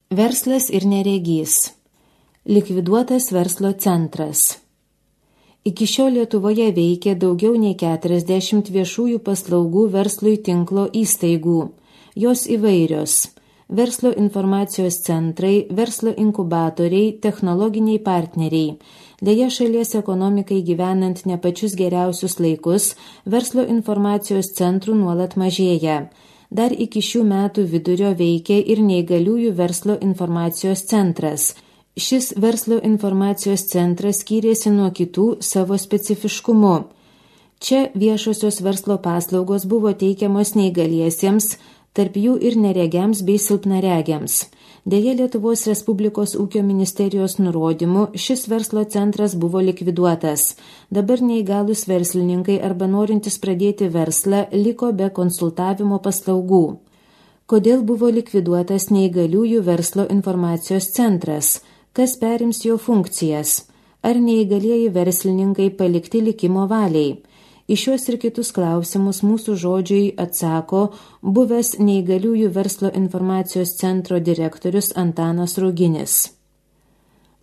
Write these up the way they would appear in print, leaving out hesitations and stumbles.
Verslas ir neregys. Likviduotas verslo centras. Iki šiol Lietuvoje veikia daugiau nei 40 viešųjų paslaugų verslui tinklo įstaigų. Jos įvairios: verslo informacijos centrai, verslo inkubatoriai, technologiniai partneriai. Deja, šalies ekonomikai gyvenant ne pačius geriausius laikus, verslo informacijos centrų nuolat mažėja. Dar iki šių metų vidurio veikia ir neįgaliųjų verslo informacijos centras. Šis verslo informacijos centras skyrėsi nuo kitų savo specifiškumu. Čia viešosios verslo paslaugos buvo teikiamos neįgaliesiems, tarp jų ir neregiams bei silpnaregiams. Deja, Lietuvos Respublikos ūkio ministerijos nurodymu šis verslo centras buvo likviduotas. Dabar neįgalūs verslininkai arba norintys pradėti verslą liko be konsultavimo paslaugų. Kodėl buvo likviduotas neįgaliųjų verslo informacijos centras? Kas perims jo funkcijas? Ar neįgalieji verslininkai palikti likimo valiai? Į šios ir kitus klausimus mūsų žodžiui atsako buvęs neįgaliųjų verslo informacijos centro direktorius Antanas Ruginis.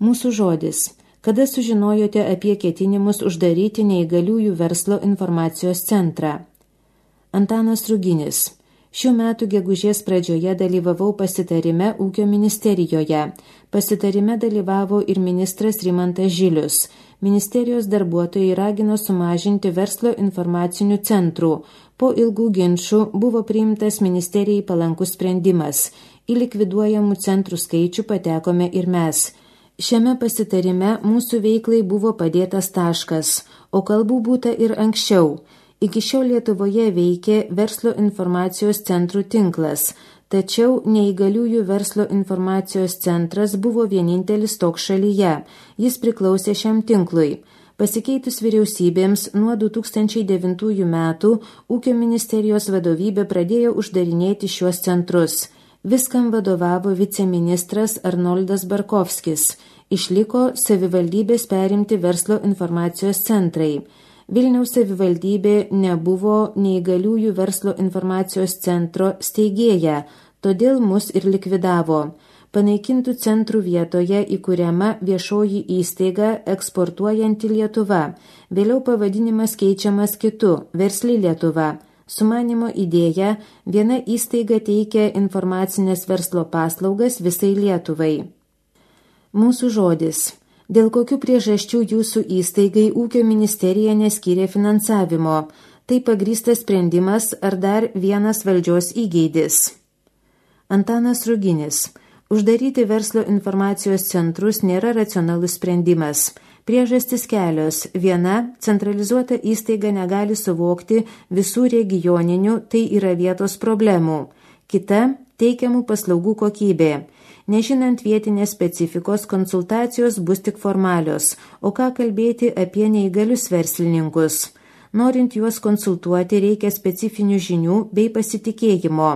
Mūsų žodis. Kada sužinojote apie ketinimus uždaryti neįgaliųjų verslo informacijos centrą? Antanas Ruginis. Šių metų gegužės pradžioje dalyvavau pasitarime ūkio ministerijoje. Pasitarime dalyvavo ir ministras Rimantas Žilius. Ministerijos darbuotojai ragino sumažinti verslo informacinių centrų. Po ilgų ginčų buvo priimtas ministerijai palankus sprendimas. Į likviduojamų centrų skaičių patekome ir mes. Šiame pasitarime mūsų veiklai buvo padėtas taškas, o kalbų būta ir anksčiau. Iki šiol Lietuvoje veikė verslo informacijos centrų tinklas, tačiau neįgaliųjų verslo informacijos centras buvo vienintelis toks šalyje. Jis priklausė šiam tinklui. Pasikeitus vyriausybėms nuo 2009 metų ūkio ministerijos vadovybė pradėjo uždarinėti šiuos centrus. Viskam vadovavo viceministras Arnoldas Barkovskis. Išliko savivaldybės perimti verslo informacijos centrai. Vilniaus savivaldybė nebuvo neįgaliųjų verslo informacijos centro steigėja, todėl mus ir likvidavo. Panaikintų centrų vietoje įkuriama viešoji įstaiga Eksportuojanti Lietuva. Vėliau pavadinimas keičiamas kitu – Versli Lietuva. Sumanymo idėja – viena įstaiga teikia informacinės verslo paslaugas visai Lietuvai. Mūsų žodis. Dėl kokių priežasčių jūsų įstaigai ūkio ministerija neskyrė finansavimo? Tai pagrįstas sprendimas ar dar vienas valdžios įgeidis? Antanas Ruginis. Uždaryti verslo informacijos centrus nėra racionalus sprendimas. Priežastis kelios. Viena, centralizuota įstaiga negali suvokti visų regioninių, tai yra vietos problemų. Kita, teikiamų paslaugų kokybė. Nežinant vietinės specifikos, konsultacijos bus tik formalios, o ką kalbėti apie neįgalius verslininkus. Norint juos konsultuoti, reikia specifinių žinių bei pasitikėjimo.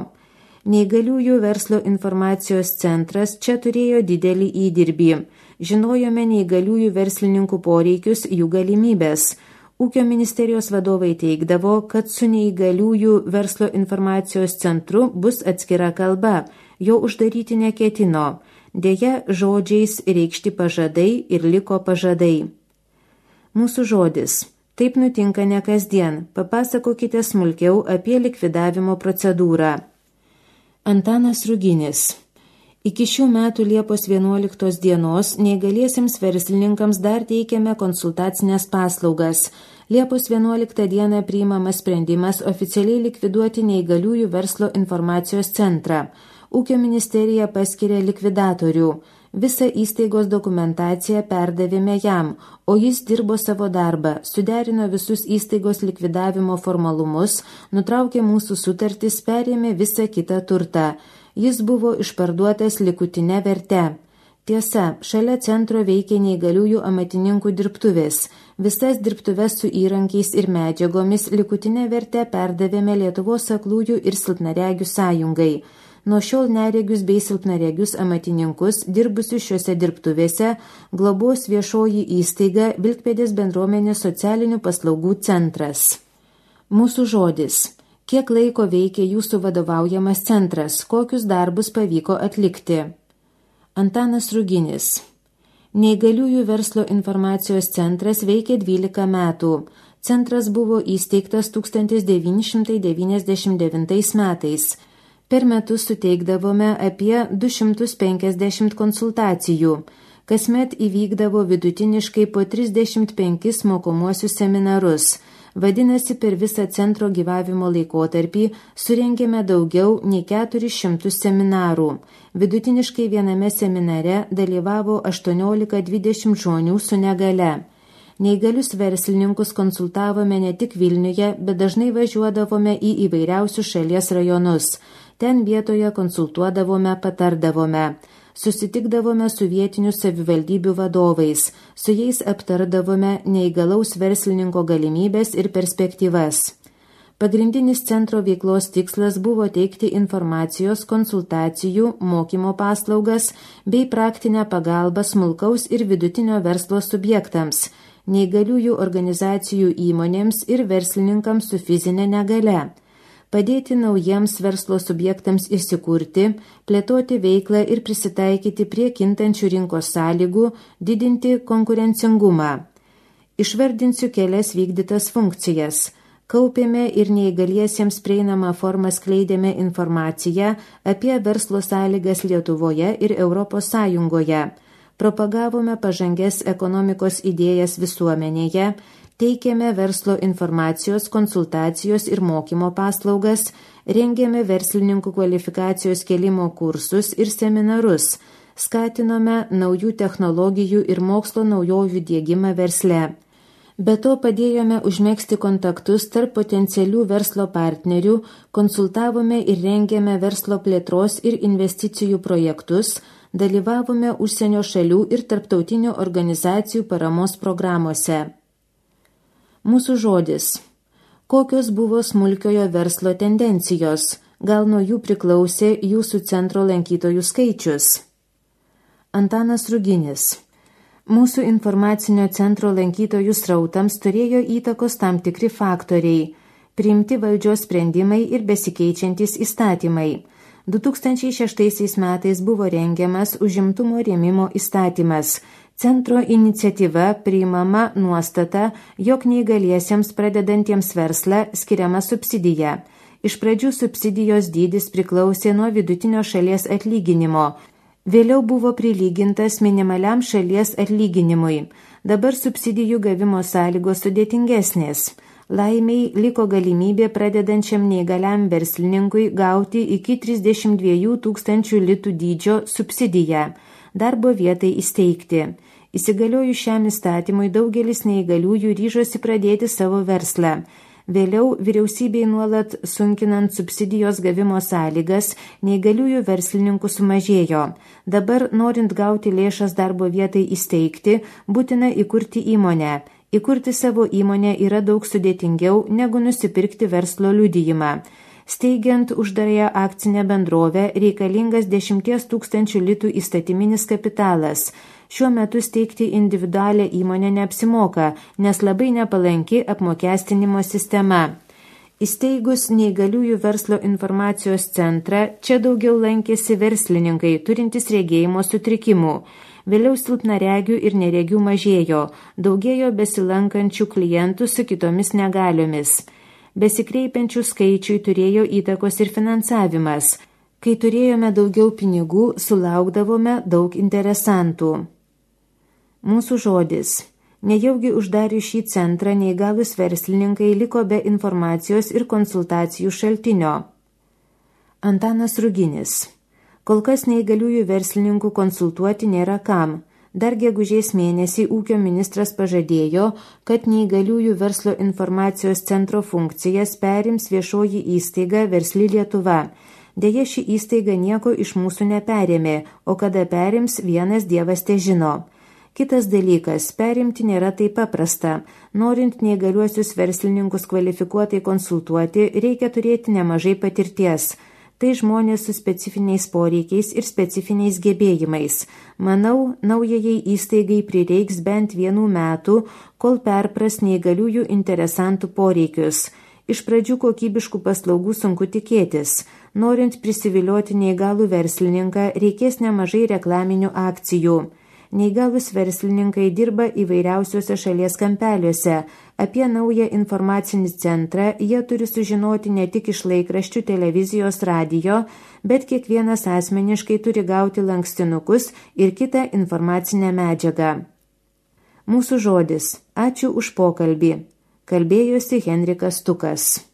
Neįgaliųjų verslo informacijos centras čia turėjo didelį įdirbį. Žinojome neįgaliųjų verslininkų poreikius, jų galimybės. Ūkio ministerijos vadovai teigdavo, kad su neįgaliųjų verslo informacijos centru bus atskira kalba. Jo uždaryti neketino. Deja, žodžiais reikšti pažadai ir liko pažadai. Mūsų žodis. Taip nutinka ne kasdien. Papasakokite smulkiau apie likvidavimo procedūrą. Antanas Ruginis. Iki šių metų Liepos 11 dienos neįgaliesiems verslininkams dar teikiame konsultacinės paslaugas. Liepos 11 dieną priimamas sprendimas oficialiai likviduoti neįgaliųjų verslo informacijos centrą. Ūkio ministerija paskiria likvidatorių. Visą įstaigos dokumentaciją perdavėme jam, o jis dirbo savo darbą, suderino visus įstaigos likvidavimo formalumus, nutraukė mūsų sutartis, perėmė visą kitą turtą. Jis buvo išparduotas likutinę verte. Tiesa, šalia centro veikė neįgaliųjų amatininkų dirbtuvės. Visas dirbtuves su įrankiais ir medžiagomis likutinę vertę perdavėme Lietuvos aklųjų ir silpnaregių sąjungai. Nuo šiol neregius bei silpnaregius amatininkus, dirbusius šiuose dirbtuvėse, globos viešoji įstaiga Vilkpėdės bendruomenės socialinių paslaugų centras. Mūsų žodis. Kiek laiko veikia jūsų vadovaujamas centras, kokius darbus pavyko atlikti? Antanas Ruginis. Neįgaliųjų verslo informacijos centras veikė 12 metų. Centras buvo įsteigtas 1999 metais. Per metus suteikdavome apie 250 konsultacijų. Kasmet įvykdavo vidutiniškai po 35 mokomuosius seminarus. Vadinasi, per visą centro gyvavimo laikotarpį surengėme daugiau nei 400 seminarų. Vidutiniškai viename seminare dalyvavo 18-20 žmonių su negale. Neįgalius verslininkus konsultavome ne tik Vilniuje, bet dažnai važiuodavome į įvairiausius šalies rajonus. Ten vietoje konsultuodavome, patardavome. Susitikdavome su vietinių savivaldybių vadovais, su jais aptardavome neįgalaus verslininko galimybės ir perspektyvas. Pagrindinis centro veiklos tikslas buvo teikti informacijos, konsultacijų, mokymo paslaugas bei praktinę pagalbą smulkaus ir vidutinio verslo subjektams, neįgaliųjų organizacijų įmonėms ir verslininkams su fizinė negale. Padėti naujiems verslo subjektams įsikurti, plėtoti veiklą ir prisitaikyti prie kintančių rinkos sąlygų, didinti konkurencingumą. Išvardinsiu kelias vykdytas funkcijas. Kaupėme ir neįgaliesiems prieinamą formą skleidėme informaciją apie verslo sąlygas Lietuvoje ir Europos Sąjungoje. Propagavome pažangias ekonomikos idėjas visuomenėje, teikėme verslo informacijos, konsultacijos ir mokymo paslaugas, rengėme verslininkų kvalifikacijos kėlimo kursus ir seminarus, skatinome naujų technologijų ir mokslo naujovių diegimą versle. Be to padėjome užmegzti kontaktus tarp potencialių verslo partnerių, konsultavome ir rengėme verslo plėtros ir investicijų projektus, dalyvavome užsienio šalių ir tarptautinių organizacijų paramos programuose. Mūsų žodis. Kokios buvo smulkiojo verslo tendencijos? Gal nuo jų priklausė jūsų centro lankytojų skaičius? Antanas Ruginis. Mūsų informacinio centro lankytojų srautams turėjo įtakos tam tikri faktoriai, priimti valdžios sprendimai ir besikeičiantys įstatymai. 2006 metais buvo rengiamas užimtumo rėmimo įstatymas. Centro iniciatyva priimama nuostata, jog neįgaliesiems pradedantiems verslą skiriama subsidija. Iš pradžių subsidijos dydis priklausė nuo vidutinio šalies atlyginimo. Vėliau buvo prilygintas minimaliam šalies atlyginimui. Dabar subsidijų gavimo sąlygos sudėtingesnės. Laimiai liko galimybė pradedančiam neįgaliam verslininkui gauti iki 32 000 litų dydžio subsidiją, darbo vietai įsteigti. Įsigaliojus šiam įstatymui daugelis neįgaliųjų ryžosi pradėti savo verslą. Vėliau vyriausybei nuolat sunkinant subsidijos gavimo sąlygas, neįgaliųjų verslininkų sumažėjo. Dabar, norint gauti lėšas darbo vietai įsteigti, būtina įkurti įmonę. Įkurti savo įmonę yra daug sudėtingiau negu nusipirkti verslo liudijimą. Steigiant uždarąją akcinę bendrovę reikalingas 10 000 litų įstatyminis kapitalas. Šiuo metu steigti individualią įmonę neapsimoka, nes labai nepalanki apmokestinimo sistema. Įsteigus neįgaliųjų verslo informacijos centrą, čia daugiau lankėsi verslininkai, turintys regėjimo sutrikimų. Vėliau silpnaregių ir neregių mažėjo, daugėjo besilankančių klientų su kitomis negaliomis. Besikreipiančių skaičiui turėjo įtakos ir finansavimas. Kai turėjome daugiau pinigų, sulaukdavome daug interesantų. Mūsų žodis. Nejaugi uždarius šį centrą neįgalus verslininkai liko be informacijos ir konsultacijų šaltinio. Antanas Ruginis. Kol kas neįgaliųjų verslininkų konsultuoti nėra kam. Dar gegužės mėnesį ūkio ministras pažadėjo, kad neįgaliųjų verslo informacijos centro funkcijas perims viešoji įstaiga Versli Lietuva. Deja, ši įstaiga nieko iš mūsų neperėmė, o kada perims, vienas dievas težino. Kitas dalykas, perimti nėra taip paprasta. Norint neįgaliuosius verslininkus kvalifikuotai konsultuoti, reikia turėti nemažai patirties. Tai žmonės su specifiniais poreikiais ir specifiniais gebėjimais. Manau, naujajai įstaigai prireiks bent 1 metų, kol perpras neįgaliųjų interesantų poreikius. Iš pradžių kokybiškų paslaugų sunku tikėtis. Norint prisivilioti neįgalų verslininką, reikės nemažai reklaminių akcijų. Neįgalus verslininkai dirba įvairiausiuose šalies kampeliuose. Apie naują informacinį centrą jie turi sužinoti ne tik iš laikraščių, televizijos, radijo, bet kiekvienas asmeniškai turi gauti lankstinukus ir kitą informacinę medžiagą. Mūsų žodis. Ačiū už pokalbį. Kalbėjosi Henrikas Stukas.